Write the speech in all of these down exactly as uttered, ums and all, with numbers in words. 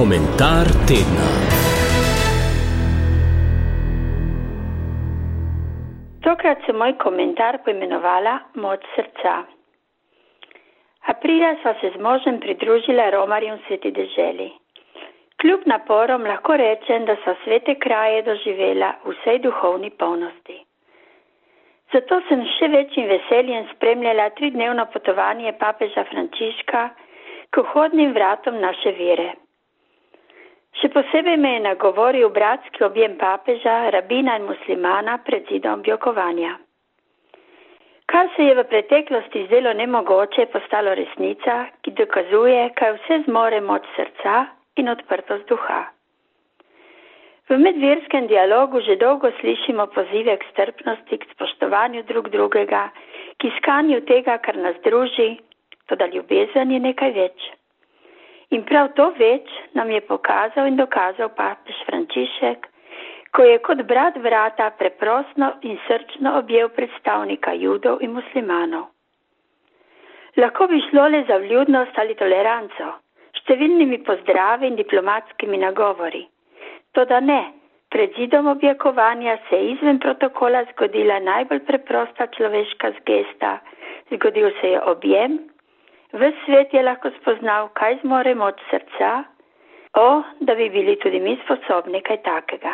Komentar tedna. Tokrat sem moj komentar poimenovala Moč srca. Aprila sva se z možem pridružila romarjem v Sveti deželi. Kljub naporom lahko rečem, da sva svete kraje doživela v vsej duhovni polnosti. Zato sem še večjim veseljem spremljala tridnevno potovanje papeža Frančiška k vhodnim vratom naše vere. Še posebej me je nagovoril bratski objem papeža, rabina in muslimana pred zidom objokovanja. Kar se je v preteklosti zdelo nemogoče, je postalo resnica, ki dokazuje, kaj vse zmore moč srca in odprtost duha. V medverskem dialogu že dolgo slišimo pozive k strpnosti, k spoštovanju drug drugega, k iskanju tega, kar nas druži, toda ljubezen je nekaj več. In prav to več nam je pokazal in dokazal papež Frančišek, ko je kot brat brata preprosto in srčno objel predstavnika judov in muslimanov. Lahko bi šlo le za vljudnost ali toleranco, številnimi pozdravi in diplomatskimi nagovori. Toda ne, pred zidom objokovanja se je izven protokola zgodila najbolj preprosta človeška gesta, zgodil se je objem. Ves svet je lahko spoznal, kaj zmore moč srca, o, da bi bili tudi mi sposobni kaj takega.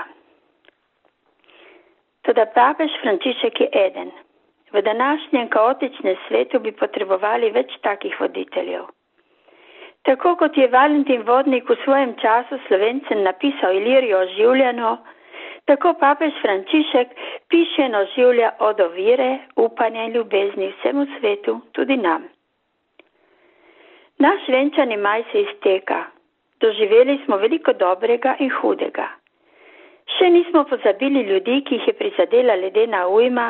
Toda papež Frančišek je eden. V današnjem kaotičnem svetu bi potrebovali več takih voditeljev. Tako kot je Valentin Vodnik v svojem času Slovencem napisal Ilirijo oživljeno, tako papež Frančišek piše in oživlja od vere, upanja in ljubezni vsemu svetu, tudi nam. Naš venčani maj se izteka. Doživeli smo veliko dobrega in hudega. Še nismo pozabili ljudi, ki jih je prizadela ledena ujma,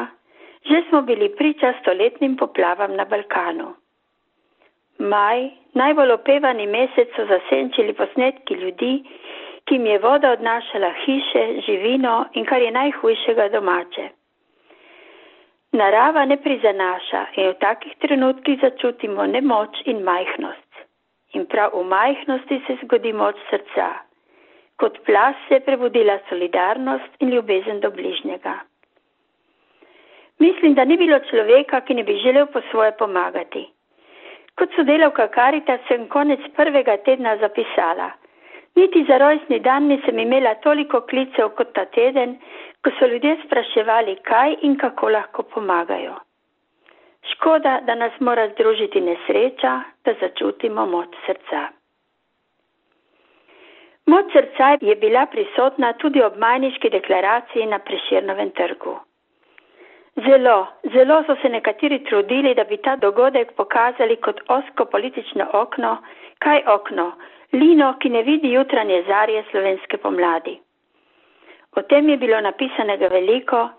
že smo bili priča stoletnim poplavam na Balkanu. Maj, najbolj opevani mesec, so zasenčili posnetki ljudi, ki jim je voda odnašala hiše, živino in kar je najhujšega domače. Narava ne prizanaša in v takih trenutkih začutimo nemoč in majhnost. In prav v majhnosti se zgodi moč srca. Kot plaz se je prebudila solidarnost in ljubezen do bližnjega. Mislim, da ni bilo človeka, ki ne bi želel po svoje pomagati. Kot sodelavka Karitas sem konec prvega tedna zapisala. Niti za rojstni dan nisem imela toliko klicev kot ta teden, ko so ljudje spraševali, kaj in kako lahko pomagajo. Škoda, da nas mora združiti nesreča, da začutimo moč srca. Moč srca je bila prisotna tudi ob majniški deklaraciji na Prešernovem trgu. Zelo, zelo so se nekateri trudili, da bi ta dogodek pokazali kot ozko politično okno. Kaj okno? Lino, ki ne vidi jutranje zarje slovenske pomladi. O tem je bilo napisanega veliko,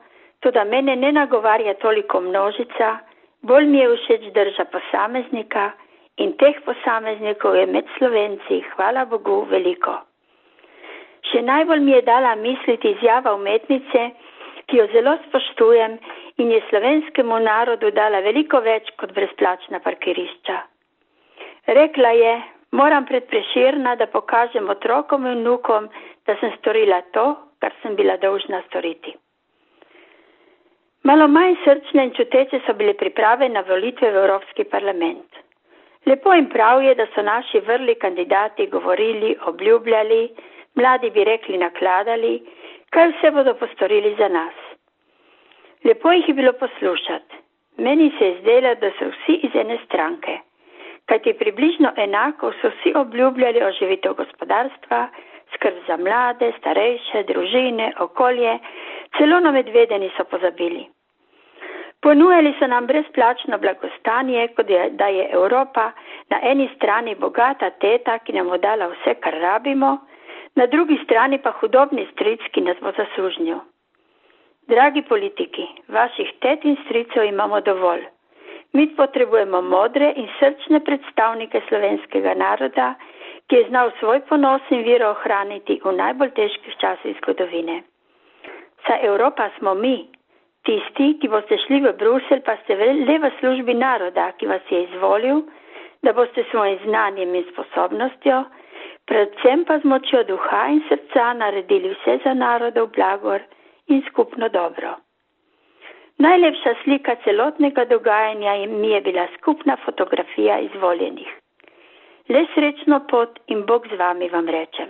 toda mene ne nagovarja toliko množica, bolj mi je všeč drža posameznika in teh posameznikov je med Slovenci, hvala Bogu, veliko. Še najbolj mi je dala misliti izjava umetnice, ki jo zelo spoštujem in je slovenskemu narodu dala veliko več kot brezplačna parkirišča. Rekla je, moram pred Prešerna, da pokažem otrokom in vnukom, da sem storila to, kar sem bila dolžna storiti. Malo manj srčne in čuteče so bile priprave na volitve v Evropski parlament. Lepo in prav je, da so naši vrli kandidati govorili, obljubljali, mladi bi rekli nakladali, kaj vse bodo postorili za nas. Lepo jih je bilo poslušati. Meni se je zdelo, da so vsi iz ene stranke. Kajti približno enako so vsi obljubljali oživitev gospodarstva, skrb za mlade, starejše, družine, okolje, celo na medvede niso pozabili. Ponujali so nam brezplačno blagostanje, kot je, da je Evropa na eni strani bogata teta, ki nam bo dala vse, kar rabimo, na drugi strani pa hudobni stric, ki nas bo zaslužnil. Dragi politiki, vaših tet in stricev imamo dovolj. Mi potrebujemo modre in srčne predstavnike slovenskega naroda, ki je znal svoj ponos in vero ohraniti v najbolj težkih časih zgodovine. Saj Evropa smo mi, tisti, ki boste šli v Bruselj, pa ste le v službi naroda, ki vas je izvolil, da boste svojim znanjem in sposobnostjo predvsem pa z močjo duha in srca naredili vse za narodov blagor in skupno dobro. Najlepša slika celotnega dogajanja mi je bila skupna fotografija izvoljenih. Le srečno pot in Bog z vami, vam rečem.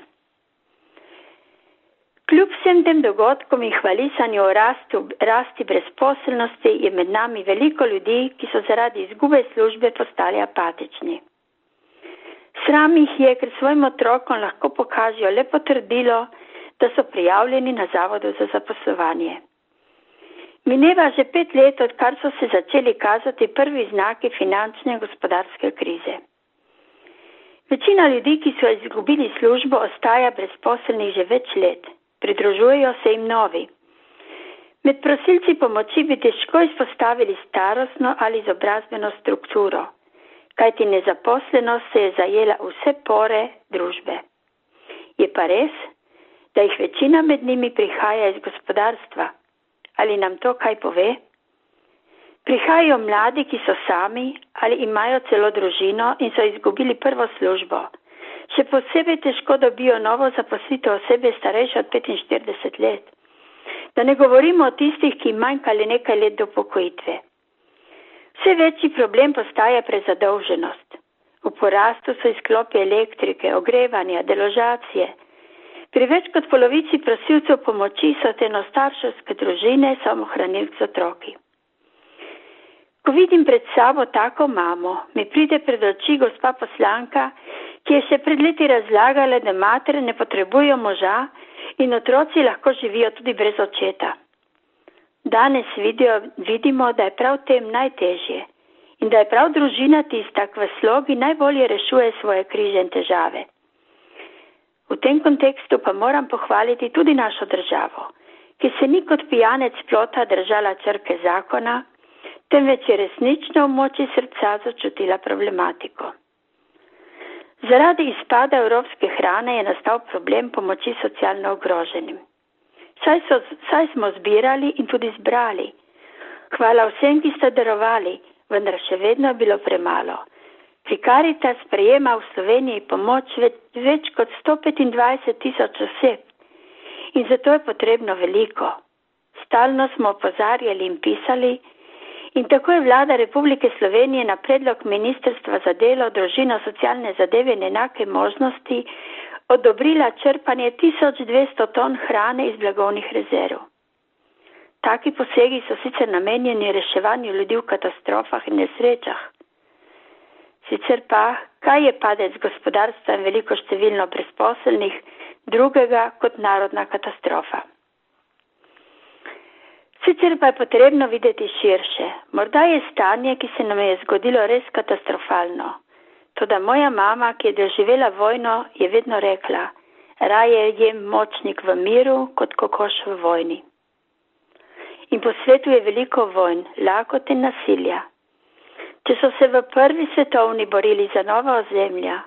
Kljub vsem tem dogodkom in hvalisanju o rastu, rasti brezposelnosti je med nami veliko ljudi, ki so zaradi izgube službe postali apatični. Sram jih je, ker svojim otrokom lahko pokažejo le potrdilo, da so prijavljeni na Zavodu za zaposlovanje. Mineva že pet let, odkar so se začeli kazati prvi znaki finančne in gospodarske krize. Večina ljudi, ki so izgubili službo, ostaja brezposelnih že več let. Pridružujejo se jim novi. Med prosilci pomoči bi težko izpostavili starostno ali izobrazbeno strukturo, kajti nezaposlenost se je zajela vse pore družbe. Je pa res, da jih večina med njimi prihaja iz gospodarstva. Ali nam to kaj pove? Prihajajo mladi, ki so sami ali imajo celo družino in so izgubili prvo službo. Še posebej težko dobijo novo zaposlitev osebe starejše od petinštirideset let. Da ne govorimo o tistih, ki manjka le nekaj let do upokojitve. Vse večji problem postaja prezadolženost. V porastu so izklopi elektrike, ogrevanja, deložacije. Pri več kot polovici prosilcev pomoči so enostarševske družine samohranilk z otroki. Ko vidim pred sabo tako mamo, mi pride pred oči gospa poslanka, ki je še pred leti razlagala, da matere ne potrebujejo moža in otroci lahko živijo tudi brez očeta. Danes vidijo, vidimo, da je prav tem najtežje in da je prav družina tista, ki v slogi najbolje rešuje svoje križe in težave. V tem kontekstu pa moram pohvaliti tudi našo državo, ki se ni kot pijanec plota držala črke zakona, temveč je resnično v moči srca začutila problematiko. Zaradi izpada evropske hrane je nastal problem pomoči socialno ogroženim. Saj, so, saj smo zbirali in tudi zbrali. Hvala vsem, ki ste darovali, vendar še vedno je bilo premalo. Pri Karitas sprejema v Sloveniji pomoč več, več kot sto petindvajset tisoč oseb in zato je potrebno veliko. Stalno smo opozarjali in pisali in tako je vlada Republike Slovenije na predlog Ministrstva za delo, družino, socialne zadeve in enake možnosti odobrila črpanje tisoč dvesto ton hrane iz blagovnih rezerv. Taki posegi so sicer namenjeni reševanju ljudi v katastrofah in nesrečah. Sicer pa, kaj je padec gospodarstva in veliko številno brezposelnih drugega kot narodna katastrofa? Sicer pa je potrebno videti širše. Morda je stanje, ki se nam je zgodilo, res katastrofalno. Toda moja mama, ki je doživela vojno, je vedno rekla, raje jem močnik v miru, kot kokoš v vojni. In po svetu je veliko vojn, lakote in nasilja. Če so se v prvi svetovni borili za nova ozemlja,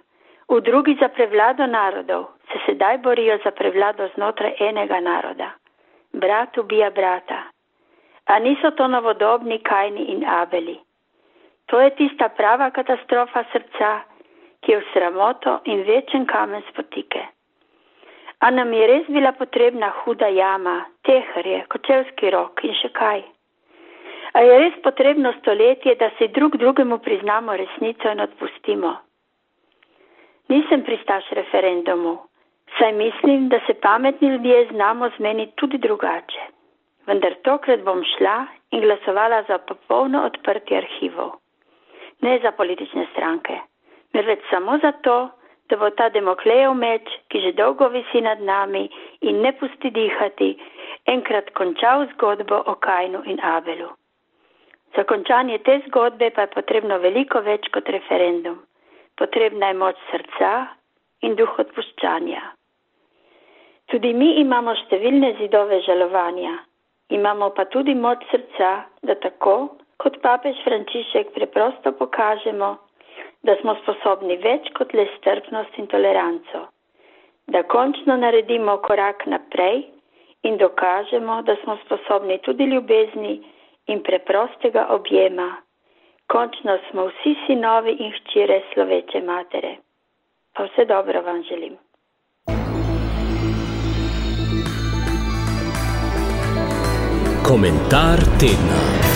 v drugi za prevlado narodov, se sedaj borijo za prevlado znotraj enega naroda. Brat ubija brata. A niso to novodobni Kajni in Abeli? To je tista prava katastrofa srca, ki je v sramoto in večen kamen spotike. A nam je res bila potrebna huda jama, teherje, kočevski rok in še kaj? A je res potrebno stoletje, da si drug drugemu priznamo resnico in odpustimo? Nisem pristaš referendumu, saj mislim, da se pametni ljudje znamo zmeniti tudi drugače. Vendar tokrat bom šla in glasovala za popolno odprtje arhivov. Ne za politične stranke, marveč samo zato, da bo ta Damoklejev meč, ki že dolgo visi nad nami in ne pusti dihati, enkrat končal zgodbo o Kajnu in Abelu. Za končanje te zgodbe pa je potrebno veliko več kot referendum. Potrebna je moč srca in duh odpuščanja. Tudi mi imamo številne zidove žalovanja. Imamo pa tudi moč srca, da tako, kot papež Frančišek, preprosto pokažemo, da smo sposobni več kot le strpnost in toleranco. Da končno naredimo korak naprej in dokažemo, da smo sposobni tudi ljubezni in preprostega objema. Končno smo vsi sinovi in hčere sloveče matere. Pa vse dobro vam želim. Komentar tedna.